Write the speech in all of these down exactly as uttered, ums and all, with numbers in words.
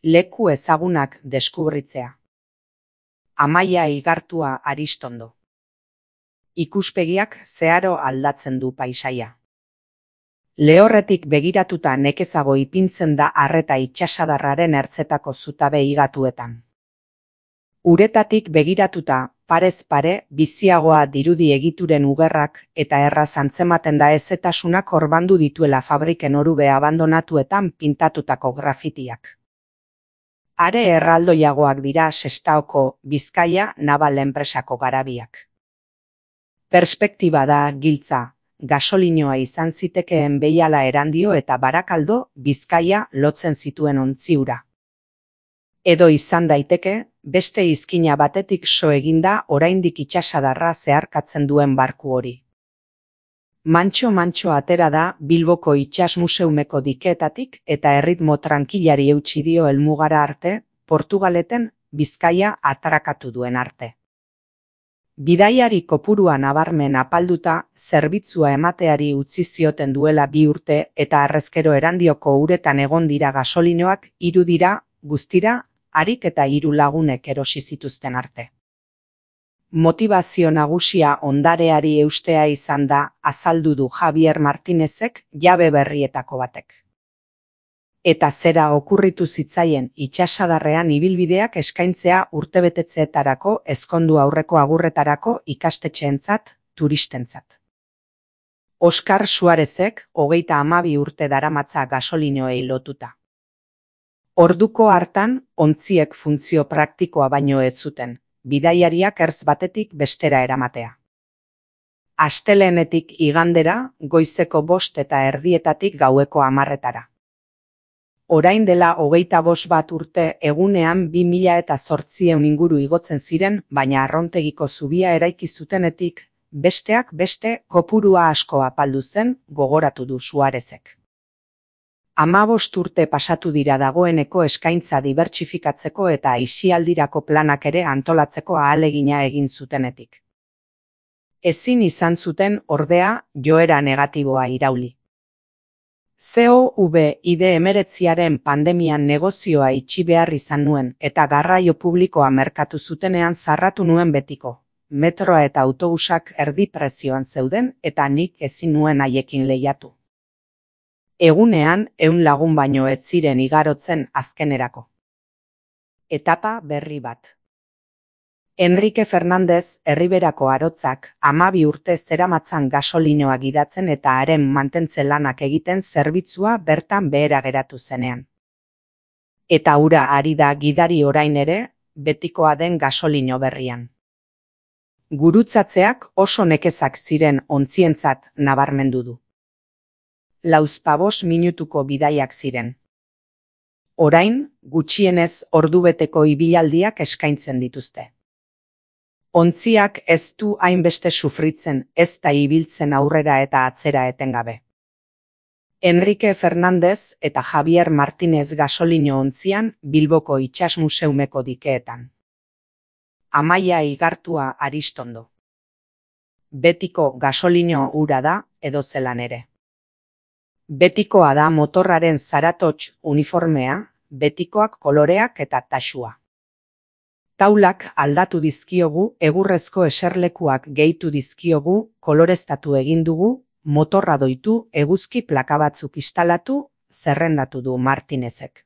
Leku ezagunak deskubritzea. Amaia Igartua Aristondo. Ikuspegiak zeharo aldatzen du paisaia. Lehorretik begiratuta nekezago ipintzen da arreta itsasadarraren ertzetako zutabe higatuetan. Uretatik begiratuta, parez pare, biziagoa dirudi egituren ugerrak eta erraz antzematen da ezetasunak orbandu dituela fabriken orube abandonatuetan pintatutako grafitiak. Are erraldoiagoak dira Sestaoko, Bizkaia nabal enpresako garabiak. Perspektiba da giltza, gasolinoa izan zitekeen Behiala Erandio eta Barakaldo, Bizkaia lotzen zituen ontziura. Edo izan daiteke, beste izkina batetik so eginda oraindik itsasadarra zeharkatzen duen barku hori. Mantxo-mantxo atera da Bilboko Itsas Museumeko dikeetatik eta erritmo trankilari eutsi dio helmugara arte, Portugaleten Bizkaia atrakatu duen arte. Bidaiari kopurua nabarmen apalduta, zerbitzua emateari utzi zioten duela bi urte eta harrezkero Erandioko uretan egon dira gasolinoak hiru dira, guztira, harik eta hiru lagunek erosi zituzten arte. Motivazio nagusia ondareari eustea izan da, azaldu du Javier Martinezek jabe berrietako batek. Eta zera okurritu zitzaien itsasadarrean ibilbideak eskaintzea urtebetetzeetarako, ezkondu aurreko agurretarako ikastetxeentzat, turistentzat. Oskar Suarezek hogeita hamabi urte daramatza gasolinoei lotuta. Orduko hartan, ontziek funtzio praktikoa baino ez zuten, bidaiariak ertz batetik bestera eramatea. Astelehenetik igandera, goizeko bost eta erdietatik gaueko hamarretara. Orain dela hogeita bost bat urte egunean bi mila eta zortziehun inguru igotzen ziren, baina Arrontegiko zubia eraiki zutenetik, besteak beste kopurua asko apaldu zen, gogoratu du Suarezek. Hamabost urte pasatu dira dagoeneko eskaintza dibertsifikatzeko eta aisialdirako planak ere antolatzeko ahalegina egin zutenetik. Ezin izan zuten ordea joera negatiboa irauli. Covid hemeretziaren pandemian negozioa itxi behar izan nuen eta garraio publikoa merkatu zutenean zarratu nuen betiko. Metroa eta autobusak erdi prezioan zeuden eta nik ezin nuen haiekin lehiatu. Egunean, ehun lagun baino ez ziren igarotzen azkenerako. Etapa berri bat. Enrique Fernandez Erriberako arotzak hamabi urte zeramatzan gasolinoa gidatzen eta haren mantentze lanak egiten zerbitzua bertan behera geratu zenean. Eta hura ari da gidari orain ere, betikoa den gasolino berrian. Gurutzatzeak oso nekezak ziren ontzientzat nabarmendu du. Lauzpabos minutuko bidaiak ziren. Orain, gutxienez ordubeteko ibilaldiak eskaintzen dituzte. Ontziak ez du hainbeste sufritzen, ez da ibiltzen aurrera eta atzera etengabe. Enrique Fernandez eta Javier Martinez gasolino ontzian Bilboko Itsas Museumeko dikeetan. Amaia Igartua Aristondo. Betiko gasolino hura da edozelan ere. Betikoa da motorraren zaratots uniformea, betikoak koloreak eta taxua. Taulak aldatu dizkiogu, egurrezko eserlekuak gehitu dizkiogu, koloreztatu egin dugu, motorra doitu, eguzki plaka batzuk instalatu, zerrendatu du Martinezek.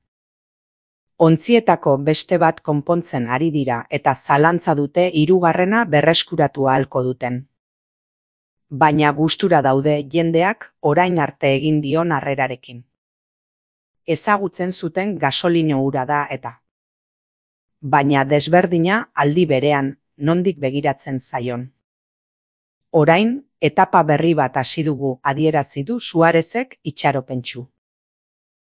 Ontzietako beste bat konpontzen ari dira eta zalantza dute hirugarrena berreskuratu ahalko duten. Baina gustura daude jendeak orain arte egin dion harrerarekin. Ezagutzen zuten gasolino hura da eta. Baina desberdina aldi berean, nondik begiratzen zaion. Orain, etapa berri bat hasi dugu adierazi du Suarezek itxaropentsu.